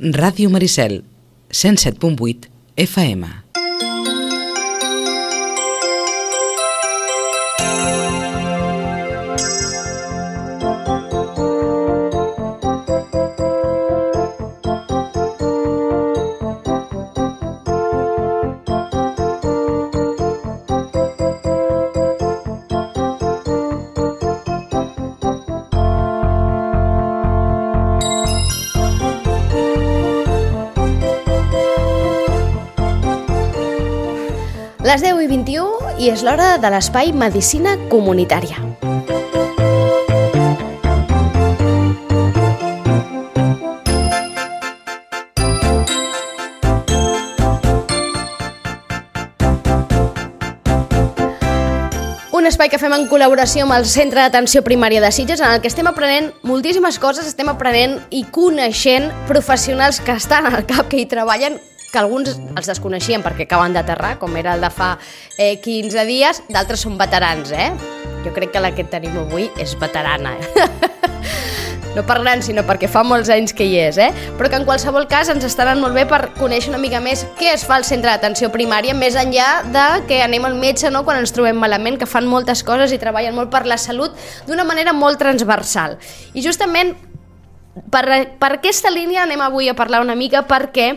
Ràdio Maricel, 107.8 FM. Les 10:21 i és l'hora de l'espai Medicina Comunitària. Un espai que fem en col·laboració amb el Centre d'Atenció Primària de Sitges, en el que estem aprenent moltíssimes coses, estem aprenent i coneixent professionals que estan al CAP, que hi treballen, que alguns els desconeixien perquè acaben d'aterrar, com era el de fa 15 dies, d'altres són veterans, Jo crec que la que tenim avui és veterana, No per gran, sinó perquè fa molts anys que hi és, Però que en qualsevol cas ens estaran molt bé per conèixer una mica més què es fa al centre d'atenció primària, més enllà de que anem al metge, no?, quan ens trobem malament, que fan moltes coses i treballen molt per la salut d'una manera molt transversal. I justament per aquesta línia anem avui a parlar una mica, perquè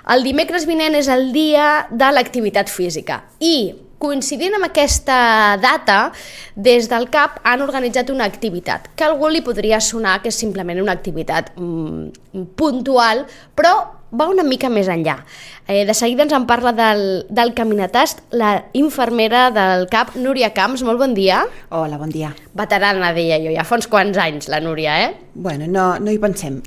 el dimecres vinent és el dia de l'activitat física i, coincidint amb aquesta data, des del CAP han organitzat una activitat que a algú li podria sonar que és simplement una activitat puntual, però va una mica més enllà. De seguida ens en parla del caminatast la infermera del CAP, Núria Camps. Molt bon dia. Hola, bon dia. Veterana, deia jo, ja fa uns quants anys, la Núria, Bueno, no hi pensem.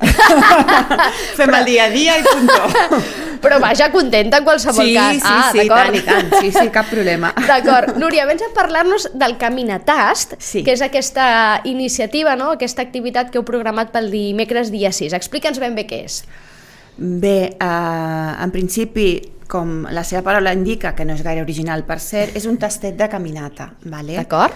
Fem el dia a dia i puntó. Però vaja, contenta en qualsevol cas. Sí, tant. Sí, cap problema. D'acord. Núria, vens a parlar-nos del caminatast, que és aquesta iniciativa, no?, aquesta activitat que heu programat pel dimecres dia 6. Explica'ns ben bé què és. Bé, en principi, com la seva paraula indica, que no és gaire original per ser, és un tastet de caminata. D'acord.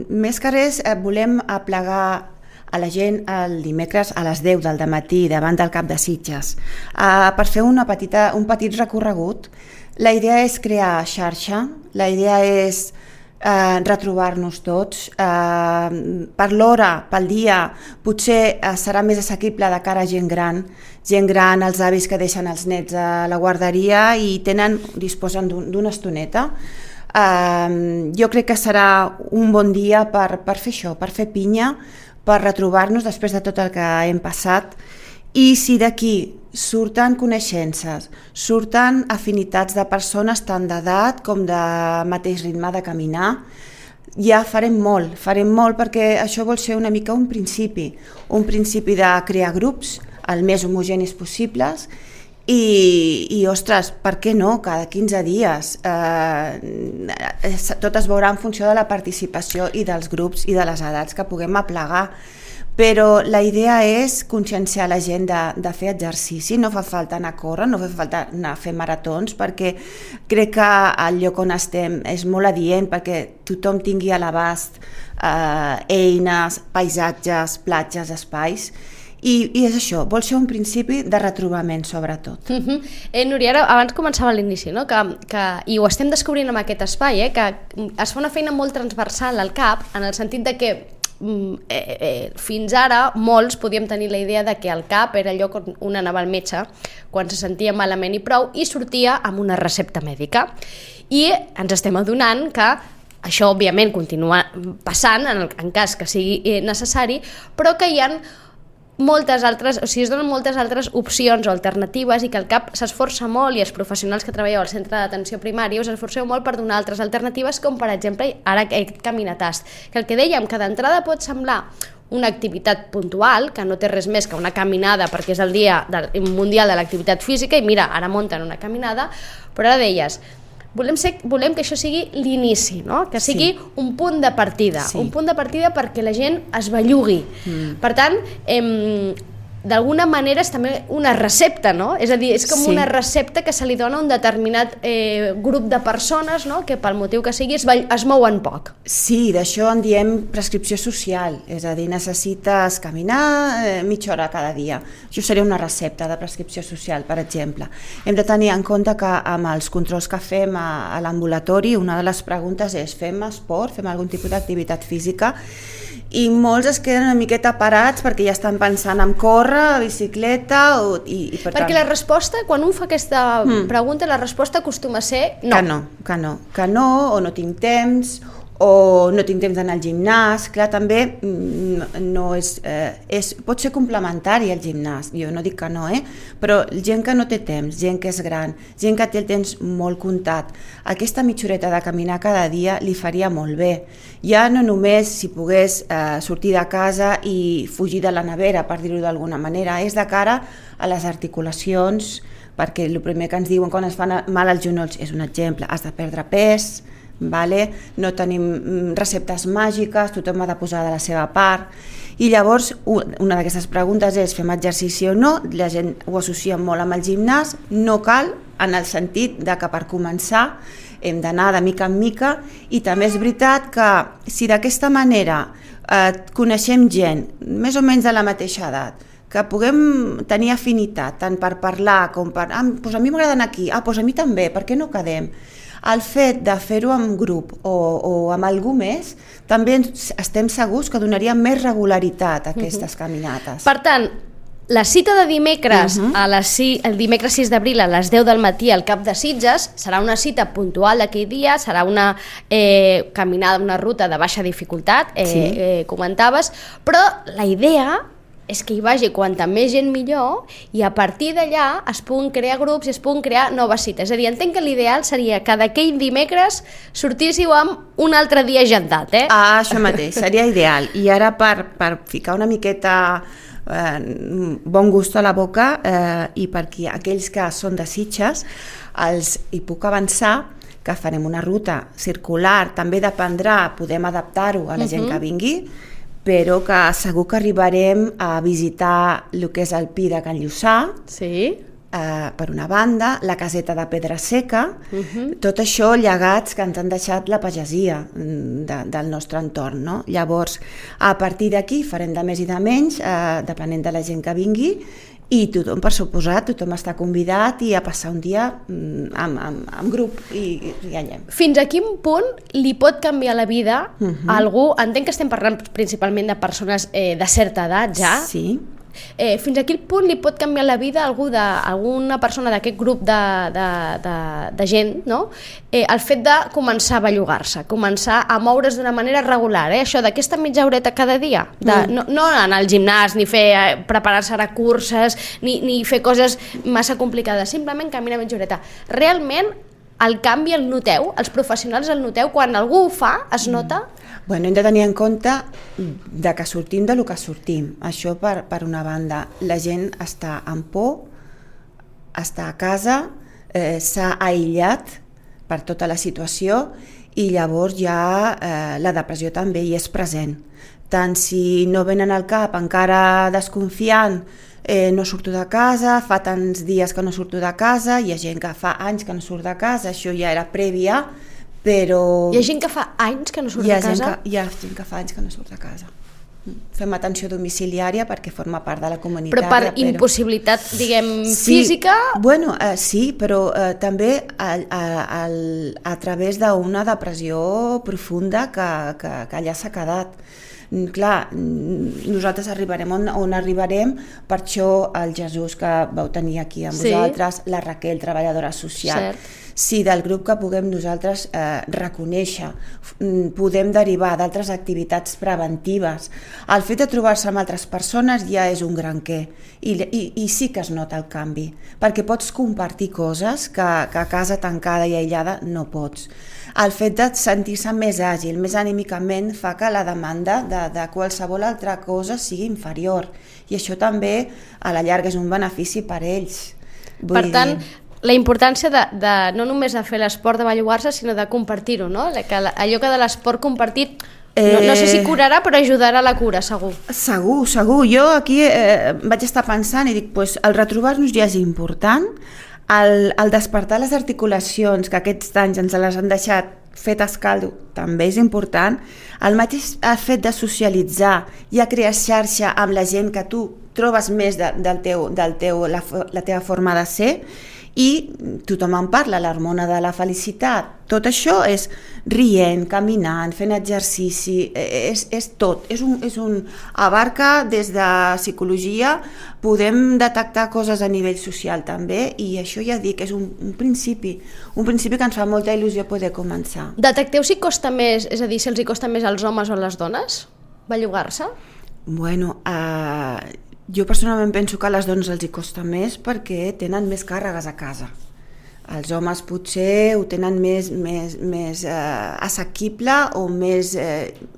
Més que res, volem aplegar a la gent el dimecres a les 10 del dematí davant del CAP de Sitges per fer un petit recorregut. La idea és crear xarxa, la idea és retrobar-nos tots. Per l'hora, pel dia, potser serà més assequible de cara a gent gran, els avis que deixen els nets a la guarderia i disposen d'una estoneta. Jo crec que serà un bon dia per fer això, per fer pinya, per retrobar-nos després de tot el que hem passat. I si d'aquí surten coneixences, surten afinitats de persones tant d'edat com de mateix ritme de caminar, ja farem molt perquè això vol ser una mica un principi de crear grups el més homogenis possibles i ostres, per què no? Cada 15 dies tot es veurà en funció de la participació i dels grups i de les edats que puguem aplegar. Però la idea és conscienciar la gent de fer exercici. No fa falta anar a córrer, no fa falta anar a fer maratons, perquè crec que el lloc on estem és molt adient perquè tothom tingui a l'abast eines, paisatges, platges, espais. I és això, vol ser un principi de retrobament, sobretot. Núria, abans començava a l'inici, no? I ho estem descobrint amb aquest espai, que es fa una feina molt transversal al CAP, en el sentit de que fins ara molts podíem tenir la idea de que el CAP era el lloc on un anava al metge quan se sentia malament i prou i sortia amb una recepta mèdica. I ens estem adonant que això, òbviament, continua passant en cas que sigui necessari, però que hi ha es donen moltes altres opcions o alternatives i que el CAP s'esforça molt i els professionals que treballeu al centre d'atenció primària us esforceu molt per donar altres alternatives, com per exemple ara aquest caminatast, que el que dèiem, que d'entrada pot semblar una activitat puntual, que no té res més que una caminada perquè és el dia mundial de l'activitat física i mira, ara munten una caminada, però ara deies, volem que això sigui l'inici, no? Que sigui un punt de partida, un punt de partida perquè la gent es bellugui. Per tant, d'alguna manera és també una recepta, no? És a dir, és com una recepta que se li dona a un determinat grup de persones, no? Que pel motiu que sigui es mouen poc. Sí, d'això en diem prescripció social, és a dir, necessites caminar mitja hora cada dia. Això seria una recepta de prescripció social, per exemple. Hem de tenir en compte que amb els controls que fem a l'ambulatori, una de les preguntes és: fem esport, fem algun tipus d'activitat física? I molts es queden una miqueta parats perquè ja estan pensant en córrer, bicicleta i per tant... Perquè la resposta, quan un fa aquesta pregunta, la resposta acostuma a ser no. Que no, o no tinc temps, o no tinc temps d'anar al gimnàs. Clar, també no pot ser complementari al gimnàs, jo no dic que no, però gent que no té temps, gent que és gran, gent que té el temps molt comptat, aquesta mitja horeta de caminar cada dia li faria molt bé. Ja no només si pogués sortir de casa i fugir de la nevera, per dir-ho d'alguna manera, és de cara a les articulacions, perquè el primer que ens diuen quan es fan mal als genolls és un exemple: has de perdre pes, vale? No tenim receptes màgiques, tothom ha de posar de la seva part. I llavors una d'aquestes preguntes és: fem exercici o no? La gent ho associa molt amb el gimnàs. No cal, en el sentit de que per començar hem d'anar de mica en mica, i també és veritat que si d'aquesta manera coneixem gent més o menys de la mateixa edat, que puguem tenir afinitat tant per parlar com per doncs a mi m'agrada anar aquí, doncs a mi també, per què no quedem? El fet de fer-ho en grup o amb algú més, també estem segurs que donaria més regularitat a aquestes caminates. Per tant, la cita de dimecres, el dimecres 6 d'abril a les 10 del matí al Cap de Sitges, serà una cita puntual d'aquell dia, serà una caminada, una ruta de baixa dificultat, comentaves, però la idea és que hi vagi quanta més gent millor, i a partir d'allà es puguin crear grups i es puguin crear noves cites. És a dir, entenc que l'ideal seria que d'aquell dimecres sortíssiu amb un altre dia agendat, Això mateix, seria ideal. I ara per ficar una miqueta bon gust a la boca, i perquè aquells que són de Sitges, hi puc avançar que farem una ruta circular, també dependrà, podem adaptar-ho a la gent que vingui, però que segur que arribarem a visitar el que és el Pi de Can Lluçà, per una banda, la caseta de Pedra Seca, tot això llegats que ens han deixat la pagesia del nostre entorn, no? Llavors, a partir d'aquí farem de més i de menys, depenent de la gent que vingui, i tothom, per suposat, tothom està convidat i a passar un dia en grup i riallem. Fins a quin punt li pot canviar la vida a algú? Entenc que estem parlant principalment de persones de certa edat ja. Sí. Fins a quin punt li pot canviar la vida a alguna persona d'aquest grup de gent, no? El fet de començar a bellugar-se, començar a moure's d'una manera regular, això d'aquesta mitja horeta cada dia, no anar al gimnàs ni preparar-se a curses ni fer coses massa complicades, simplement caminar mitja horeta. Realment el canvi el noteu? Els professionals el noteu? Quan algú ho fa, es nota? Bueno, hem de tenir en compte de que sortim del que sortim. Això per una banda. La gent està amb por, està a casa, s'ha aïllat per tota la situació, i llavors ja la depressió també hi és present. Tant si no venen al cap encara desconfiant, no surto de casa, fa tants dies que no surto de casa, hi ha gent que fa anys que no surt de casa, això ja era prèvia, però... Hi ha gent que fa anys que no surt de casa? Hi ha gent que fa anys que no surt de casa. Fem atenció domiciliària perquè forma part de la comunitat. Però per impossibilitat, diguem, física? Bueno, sí, però també a través d'una depressió profunda que allà s'ha quedat. Clar, nosaltres arribarem on arribarem, per això el Jesús que vau tenir aquí amb vosaltres, la Raquel, treballadora social. Si del grup que puguem nosaltres reconèixer, podem derivar d'altres activitats preventives. El fet de trobar-se amb altres persones ja és un gran què, i sí que es nota el canvi, perquè pots compartir coses que a casa tancada i aïllada no pots. El fet de sentir-se més àgil, més anímicament, fa que la demanda de qualsevol altra cosa sigui inferior, i això també a la llarga és un benefici per ells. Per tant, la importància no només de fer l'esport de bellugar-se, sinó de compartir-ho, no? Allò que de l'esport compartit No sé si curarà, però ajudarà a la cura, segur. Segur. Jo aquí vaig estar pensant i dic, pues, el retrobar-nos ja és important, el despertar les articulacions, que aquests anys ens les han deixat fetes caldo, també és important. El mateix fet de socialitzar i a crear xarxa amb la gent que tu trobes més la teva forma de ser, i tothom en parla, l'hormona de la felicitat. Tot això és rient, caminant, fent exercici, és tot. Abarca des de psicologia, podem detectar coses a nivell social també, i això ja dic, és un principi que ens fa molta il·lusió poder començar. Detecteu si costa més, és a dir, si els hi costa més als homes o a les dones bellugar-se? Bueno, jo personalment penso que a les dones els hi costa més perquè tenen més càrregues a casa. Els homes potser ho tenen més assequible o més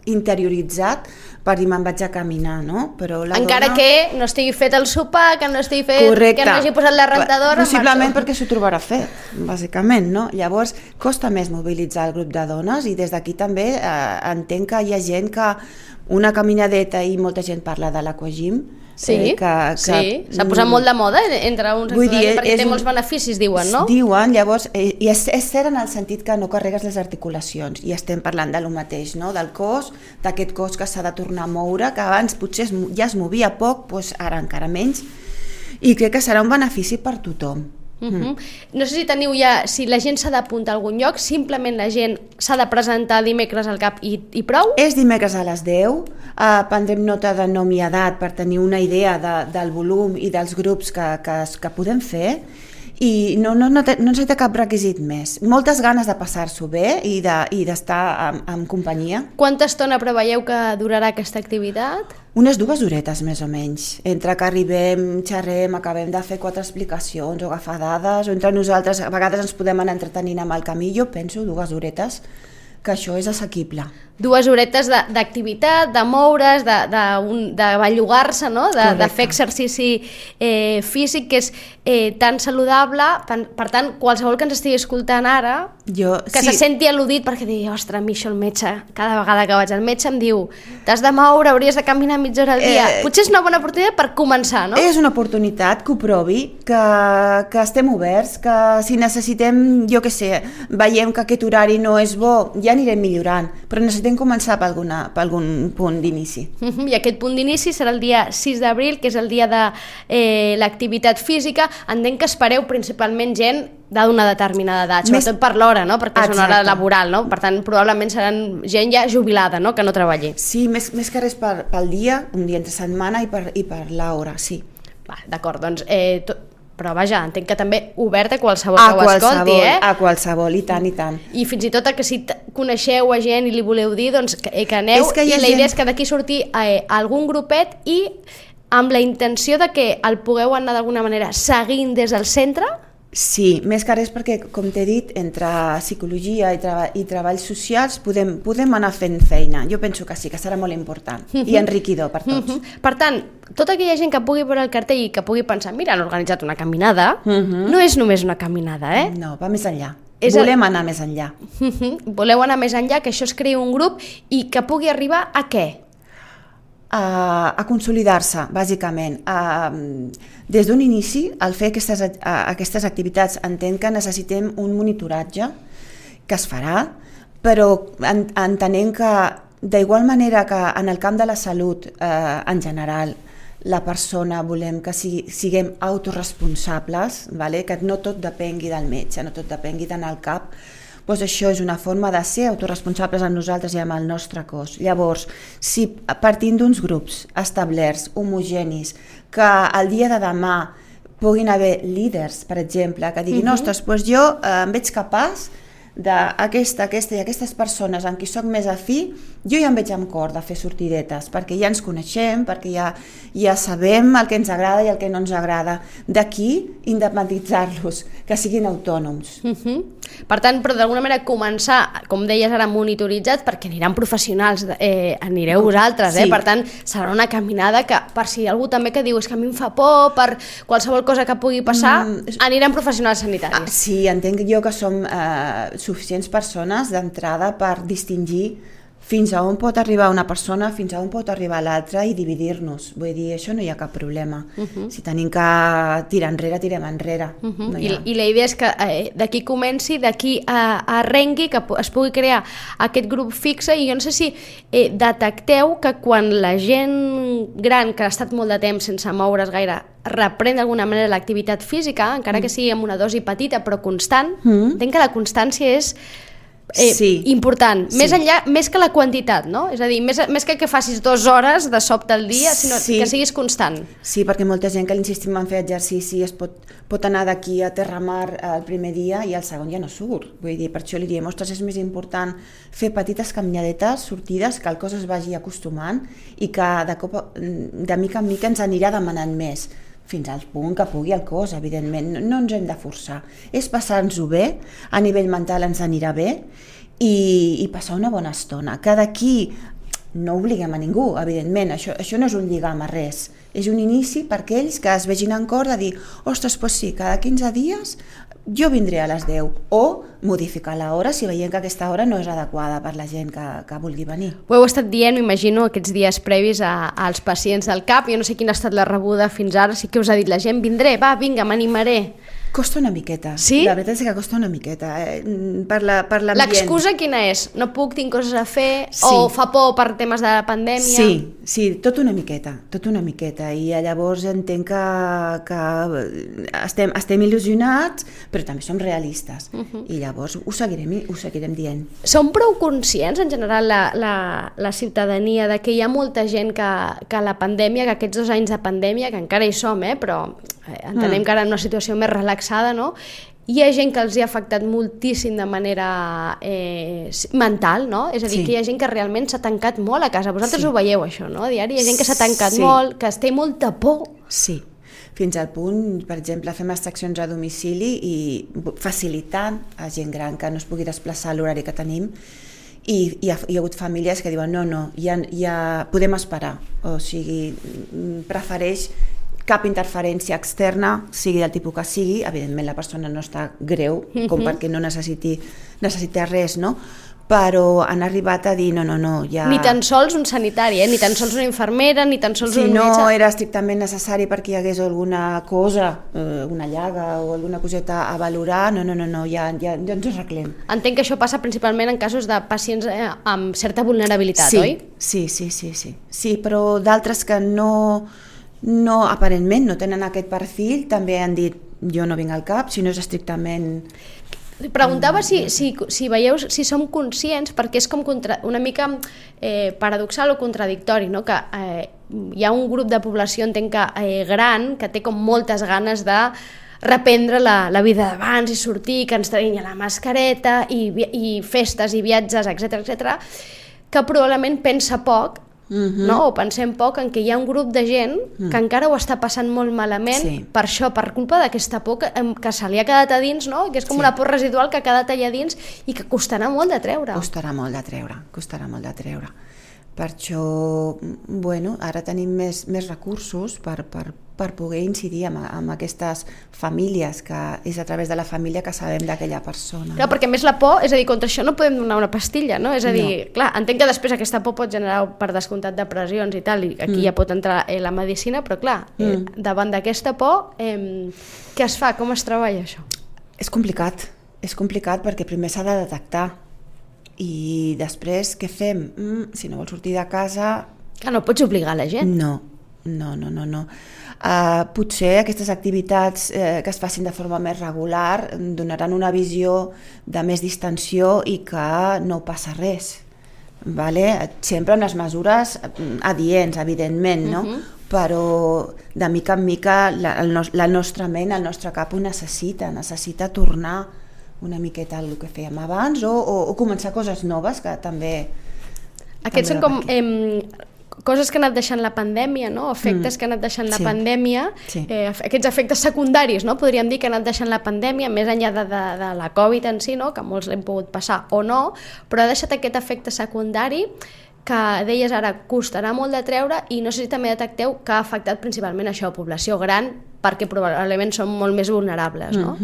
interioritzat per dir me'n vaig a caminar, no? Però encara que no estigui fet el sopar, que no estigui fet, correcte, que no hagi posat la rentadora... Possiblement perquè s'ho trobarà fet, bàsicament, no? Llavors, costa més mobilitzar el grup de dones, i des d'aquí també entenc que hi ha gent que una caminadeta, i molta gent parla de l'aquagym, sí, s'ha posat molt de moda entre uns i altres, perquè té molts beneficis, diuen, no? Diuen, llavors, i és cert en el sentit que no carregues les articulacions, i estem parlant de lo mateix, no? Del cos, d'aquest cos que s'ha de tornar a moure, que abans potser ja es movia poc, doncs ara encara menys, i crec que serà un benefici per tothom. No sé si teniu ja, si la gent s'ha d'apuntar a algun lloc, simplement la gent s'ha de presentar dimecres al CAP i prou? És dimecres a les 10, prendrem nota de nom i edat per tenir una idea del volum i dels grups que podem fer, i no necessita cap requisit més. Moltes ganes de passar-s'ho bé i d'estar en companyia. Quanta estona preveieu que durarà aquesta activitat? Unes 2 horetes més o menys, entre que arribem, xerrem, acabem de fer 4 explicacions o agafar dades, o entre nosaltres a vegades ens podem anar entretenint amb el camí. Jo penso 2 horetes, que això és assequible. 2 horetes d'activitat, de moure's, de bellugar-se, no? De fer exercici físic, que és tan saludable. Per tant, qualsevol que ens estigui escoltant ara, se senti al·ludit perquè digui, ostres, a mi això el metge, cada vegada que vaig al metge em diu, t'has de moure, hauries de caminar mitja hora al dia. Potser és una bona oportunitat per començar, no? És una oportunitat que ho provi, que estem oberts, que si necessitem, jo què sé, veiem que aquest horari no és bo, ja anirem millorant, però necessitem començar per algun punt d'inici. I aquest punt d'inici serà el dia 6 d'abril, que és el dia de l'activitat física. Entenc que espereu principalment gent d'una determinada edat, sobretot per l'hora, no? Perquè és una hora laboral, no? Per tant, probablement seran gent ja jubilada, no? Que no treballi. Sí, més que res pel dia, un dia entre setmana, i per l'hora, sí. D'acord, doncs... Però vaja, entenc que també obert a qualsevol que ho escolti, A qualsevol, i tant, i tant. I fins i tot que si coneixeu a gent i li voleu dir, doncs que aneu, i la idea és que d'aquí surti algun grupet i amb la intenció de que el pugueu anar d'alguna manera seguint des del centre. Sí, més que res perquè, com t'he dit, entre psicologia i treballs socials podem anar fent feina. Jo penso que sí, que serà molt important i enriquidor per tots. Per tant, tota aquella gent que pugui veure el cartell i que pugui pensar, mira, han organitzat una caminada, no és només una caminada, No, va més enllà. Volem anar més enllà. Voleu anar més enllà, que això es creï un grup i que pugui arribar a què? A consolidar-se, bàsicament. Des d'un inici, al fer aquestes activitats, entenc que necessitem un monitoratge que es farà, però entenent que d'igual manera que en el camp de la salut en general la persona volem que siguem autoresponsables, que no tot depengui del metge, no tot depengui d'anar al CAP, doncs això és una forma de ser autoresponsables amb nosaltres i amb el nostre cos. Llavors, si partint d'uns grups establerts, homogenis, que el dia de demà puguin haver líders, per exemple, que diguin, ostres, doncs jo em veig capaç d'aquesta i aquestes persones amb qui soc més afí, jo ja em veig amb cor de fer sortidetes, perquè ja ens coneixem, perquè ja sabem el que ens agrada i el que no ens agrada. D'aquí, independitzar-los, que siguin autònoms. Per tant, però d'alguna manera començar, com deies ara, monitoritzats, perquè aniran professionals, anireu vosaltres, per tant, serà una caminada que, per si algú també que diu és que a mi em fa por, per qualsevol cosa que pugui passar, aniran professionals sanitaris. Sí, entenc jo que som suficients persones d'entrada per distingir fins a on pot arribar una persona, fins a on pot arribar l'altra i dividir-nos. Vull dir, això no hi ha cap problema. Si tenim que tirar enrere, tirem enrere. No I la idea és que d'aquí comenci, d'aquí arrengui, que es pugui crear aquest grup fixe, i jo no sé si detecteu que quan la gent gran, que ha estat molt de temps sense moure's gaire, reprèn d'alguna manera l'activitat física, encara que sigui amb una dosi petita però constant, entenc que la constància és important, més que la quantitat, no? És a dir, més que facis 2 hores de sobte al dia, sinó que siguis constant. Sí, perquè molta gent que l'insistim en fer exercici pot anar d'aquí a Terramar el primer dia i el segon ja no surt. Vull dir, per això li diem, ostres, és més important fer petites caminadetes, sortides, que el cos es vagi acostumant i que de mica en mica ens anirà demanant més, fins al punt que pugui el cos, evidentment. No ens hem de forçar. És passar-nos-ho bé, a nivell mental ens anirà bé i passar una bona estona. Que d'aquí no obliguem a ningú, evidentment, això no és un lligam a res. És un inici per aquells que es vegin en cor de dir, ostres, doncs sí, cada 15 dies jo vindré a les 10, o modificar l'hora si veiem que aquesta hora no és adequada per la gent que vulgui venir. Ho heu estat dient, m'imagino, aquests dies previs als pacients del CAP. Jo no sé quina ha estat la rebuda fins ara, sí que us ha dit la gent, vindré, va, vinga, m'animaré. Costa una miqueta, sí? La veritat és que costa una miqueta, per l'ambient. L'excusa quina és? No puc, tinc coses a fer, o fa por per temes de la pandèmia? Sí, tot una miqueta, i llavors entenc que estem il·lusionats, però també som realistes, i llavors ho seguirem dient. Som prou conscients, en general, la ciutadania, de que hi ha molta gent que la pandèmia, que aquests 2 anys de pandèmia, que encara hi som, però entenem que ara en una situació més relaxada, no? Hi ha gent que els hi ha afectat moltíssim de manera mental, no? És a dir, que hi ha gent que realment s'ha tancat molt a casa. Vosaltres ho veieu, això, no? A diari hi ha gent que s'ha tancat molt, que es té molta por. Sí, fins al punt, per exemple, fem extraccions a domicili i facilitant a gent gran que no es pugui desplaçar a l'horari que tenim, i hi ha hagut famílies que diuen no, ja podem esperar, o sigui, prefereix cap interferència externa, sigui del tipus que sigui, evidentment la persona no està greu, com perquè no necessiti res, no? Però han arribat a dir no, ja... Ni tan sols un sanitari, ni tan sols una infermera, ni tan sols un metge... Si no era estrictament necessari perquè hi hagués alguna cosa, una llaga o alguna coseta a valorar, no, ja ens ho arreglem. Entenc que això passa principalment en casos de pacients amb certa vulnerabilitat, oi? Sí, però d'altres que no, aparentment no tenen aquest perfil, també han dit jo no vinc al CAP, si no és estrictament... Preguntava si veieu, si som conscients, perquè és com una mica paradoxal o contradictori, no? Que hi ha un grup de població, entenc que gran, que té com moltes ganes de reprendre la vida d'abans i sortir, que ens traguin la mascareta i festes i viatges, etc, que probablement pensa poc, no? O pensem poc en què hi ha un grup de gent que encara ho està passant molt malament per això, per culpa d'aquesta por que se li ha quedat a dins, no? Que és com una por residual que ha quedat allà dins i que costarà molt de treure. Costarà molt de treure. Per això, ara tenim més recursos per poder incidir amb aquestes famílies, que és a través de la família que sabem d'aquella persona. Clar, perquè més la por, és a dir, contra això no podem donar una pastilla, no? És a dir, clar, entenc que després aquesta por pot generar per descomptat depressions i tal, i aquí ja pot entrar la medicina, però clar, davant d'aquesta por, què es fa? Com es treballa això? És complicat perquè primer s'ha de detectar. I després, què fem? Si no vols sortir de casa... Que no pots obligar la gent. No. Potser aquestes activitats que es facin de forma més regular donaran una visió de més distensió i que no passa res. Sempre amb les mesures adients, evidentment, no? Però de mica en mica la nostra ment, el nostre cap ho necessita tornar una miqueta al que fèiem abans o començar coses noves que també... Aquests són com coses que ha anat deixant la pandèmia, no? Efectes que ha anat deixant la pandèmia, aquests efectes secundaris, no? Podríem dir que ha anat deixant la pandèmia, més enllà de la Covid en si, no? Que molts l'hem pogut passar o no, però ha deixat aquest efecte secundari que deies ara costarà molt de treure, i no sé si també detecteu que ha afectat principalment això, població gran, perquè probablement són molt més vulnerables, no?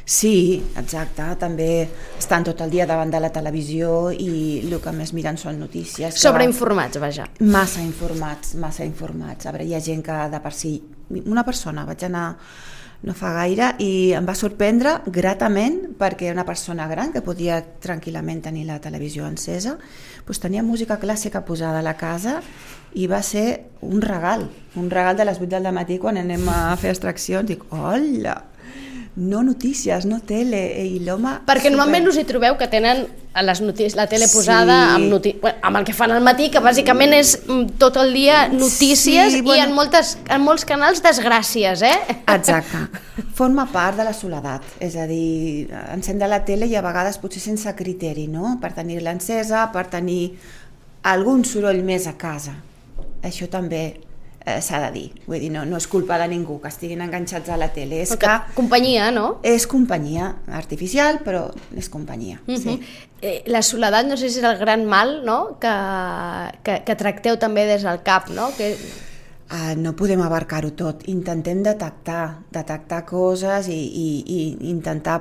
Sí, exacte, també estan tot el dia davant de la televisió i el que més miren són notícies. Sobreinformats, vaja. Massa informats. A veure, hi ha gent que de per si... Una persona, vaig anar no fa gaire i em va sorprendre gratament perquè una persona gran que podia tranquil·lament tenir la televisió encesa, doncs tenia música clàssica posada a la casa i va ser un regal de les 8 del matí quan anem a fer extraccions. Dic, hola, no notícies, no tele, i l'home... Perquè normalment us hi trobeu que tenen les notícies, la tele posada amb el que fan al matí, que bàsicament és tot el dia notícies i en molts canals desgràcies, Exacte. Forma part de la soledat, és a dir, encendre la tele i a vegades potser sense criteri, no? Per tenir-la encesa, per tenir algun soroll més a casa. Això també s'ha de dir, vull dir, no és culpa de ningú que estiguin enganxats a la tele, és que... Companyia, no? És companyia artificial, però és companyia, sí. La soledat no sé si és el gran mal, no?, que tracteu també des del CAP, no? No podem abarcar-ho tot, intentem detectar coses i intentar,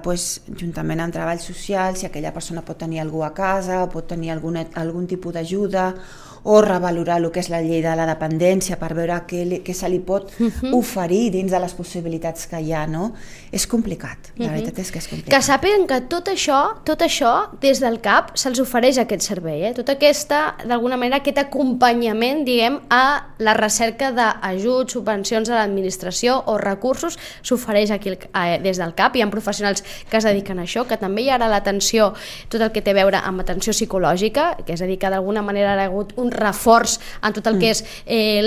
juntament amb treball social, si aquella persona pot tenir algú a casa o pot tenir algun tipus d'ajuda, o revalorar el que és la llei de la dependència per veure què se li pot oferir dins de les possibilitats que hi ha, no? És complicat, la veritat és que és complicat. Que sàpiguen que tot això, des del CAP, se'ls ofereix aquest servei, Tot d'alguna manera, aquest acompanyament, diguem, a la recerca d'ajuts, subvencions a l'administració o recursos, s'ofereix aquí des del CAP. Hi ha professionals que es dediquen a això, que també hi ha ara l'atenció, tot el que té a veure amb atenció psicològica, que és a dir, que d'alguna manera ha hagut un reforç en tot el que és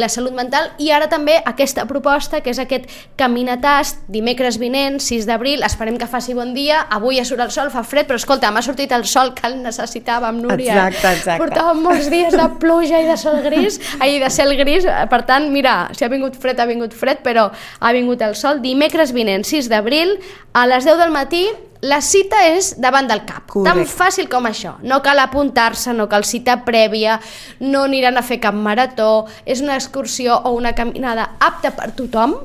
la salut mental, i ara també aquesta proposta que és aquest caminatast dimecres vinent, 6 d'abril, esperem que faci bon dia, avui ja surt el sol, fa fred, però escolta, m'ha sortit el sol que el necessitàvem, Núria. Exacte. Portàvem molts dies de pluja i de sol gris, de cel gris, per tant, mira, si ha vingut fred, però ha vingut el sol. Dimecres vinent, 6 d'abril, a les 10 del matí, la cita és davant del CAP. Correcte. Tan fàcil com això. No cal apuntar-se, no cal cita prèvia, no aniran a fer cap marató, és una excursió o una caminada apta per tothom,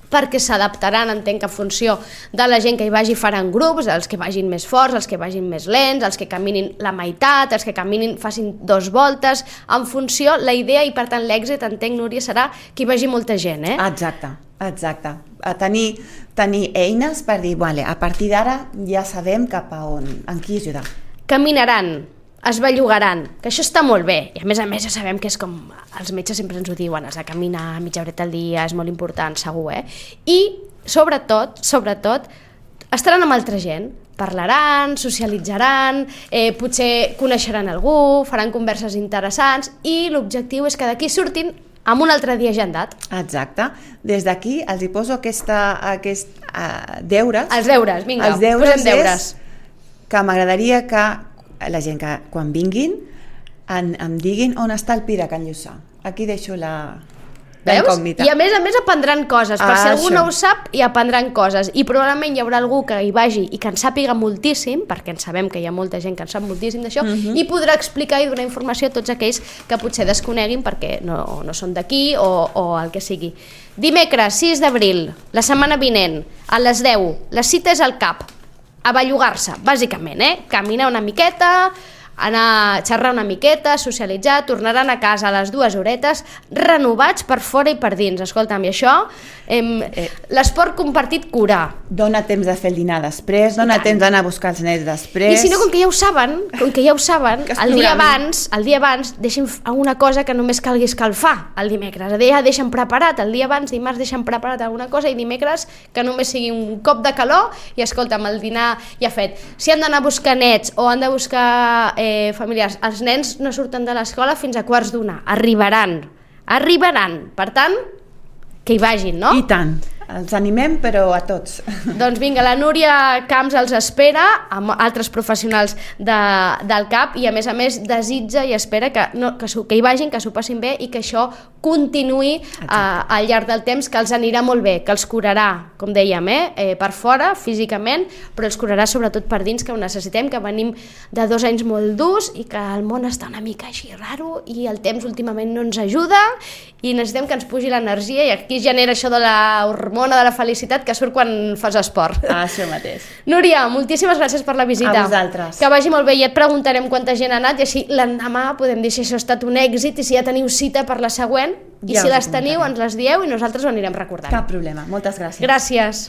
perquè s'adaptaran, entenc, en funció de la gent que hi vagi, faran grups, els que vagin més forts, els que vagin més lents, els que caminin la meitat, els que caminin, facin 2 voltes, en funció, la idea i per tant l'èxit, entenc, Núria, serà que hi vagi molta gent, Exacte. A tenir eines per dir, a partir d'ara ja sabem cap a on, en qui ajudar. Caminaran, es bellugaran, que això està molt bé, i a més ja sabem que és com els metges sempre ens ho diuen, has de caminar mitja horeta al dia, és molt important, segur, I sobretot, estaran amb altra gent, parlaran, socialitzaran, potser coneixeran algú, faran converses interessants, i l'objectiu és que d'aquí surtin amb un altre dia agendat. Exacte. Des d'aquí els hi poso aquest deures. Els deures, vinga, posem deures. Que m'agradaria que la gent que quan vinguin em diguin on està el Pira Can Lluçà. Aquí deixo la incògnita. I a més aprendran coses, per si algú no ho sap, hi aprendran coses, i probablement hi haurà algú que hi vagi i que en sàpiga moltíssim, perquè en sabem que hi ha molta gent que en sap moltíssim d'això, i podrà explicar i donar informació a tots aquells que potser desconeguin perquè no són d'aquí o el que sigui. Dimecres 6 d'abril, la setmana vinent, a les 10, la cita és al CAP, a bellugar-se, bàsicament, caminar una miqueta, anar a xerrar una miqueta, socialitzar, tornaran a casa a les 2 horetes, renovats per fora i per dins. Escolta'm, i això, l'esport compartit cura. Dóna temps de fer el dinar després, dóna temps d'anar a buscar els nens després. I si no, com que ja ho saben, el dia abans deixin alguna cosa que només calgui escalfar el dimecres. Ja deixen preparat, el dia abans, dimarts, deixen preparat alguna cosa, i dimecres que només sigui un cop de calor i, escolta'm, el dinar ja fet. Si han d'anar a buscar nets o han de buscar familiars, els nens no surten de l'escola fins a 1:15, arribaran, per tant, que hi vagin, no? I tant, Els animem, però a tots. Doncs vinga, la Núria Camps els espera, amb altres professionals del CAP, i a més desitja i espera que hi vagin, que s'ho passin bé i que això continuï al llarg del temps, que els anirà molt bé, que els curarà, com dèiem, per fora, físicament, però els curarà sobretot per dins, que ho necessitem, que venim de 2 anys molt durs i que el món està una mica així raro i el temps últimament no ens ajuda i necessitem que ens pugi l'energia, i aquí genera això de la hormona de la felicitat que surt quan fas esport. Això mateix. Núria, moltíssimes gràcies per la visita. A vosaltres. Que vagi molt bé, i et preguntarem quanta gent ha anat i així l'endemà podem dir si això ha estat un èxit i si ja teniu cita per la següent, i si les teniu ens les dieu i nosaltres ho anirem recordant. Cap problema, moltes gràcies. Gràcies.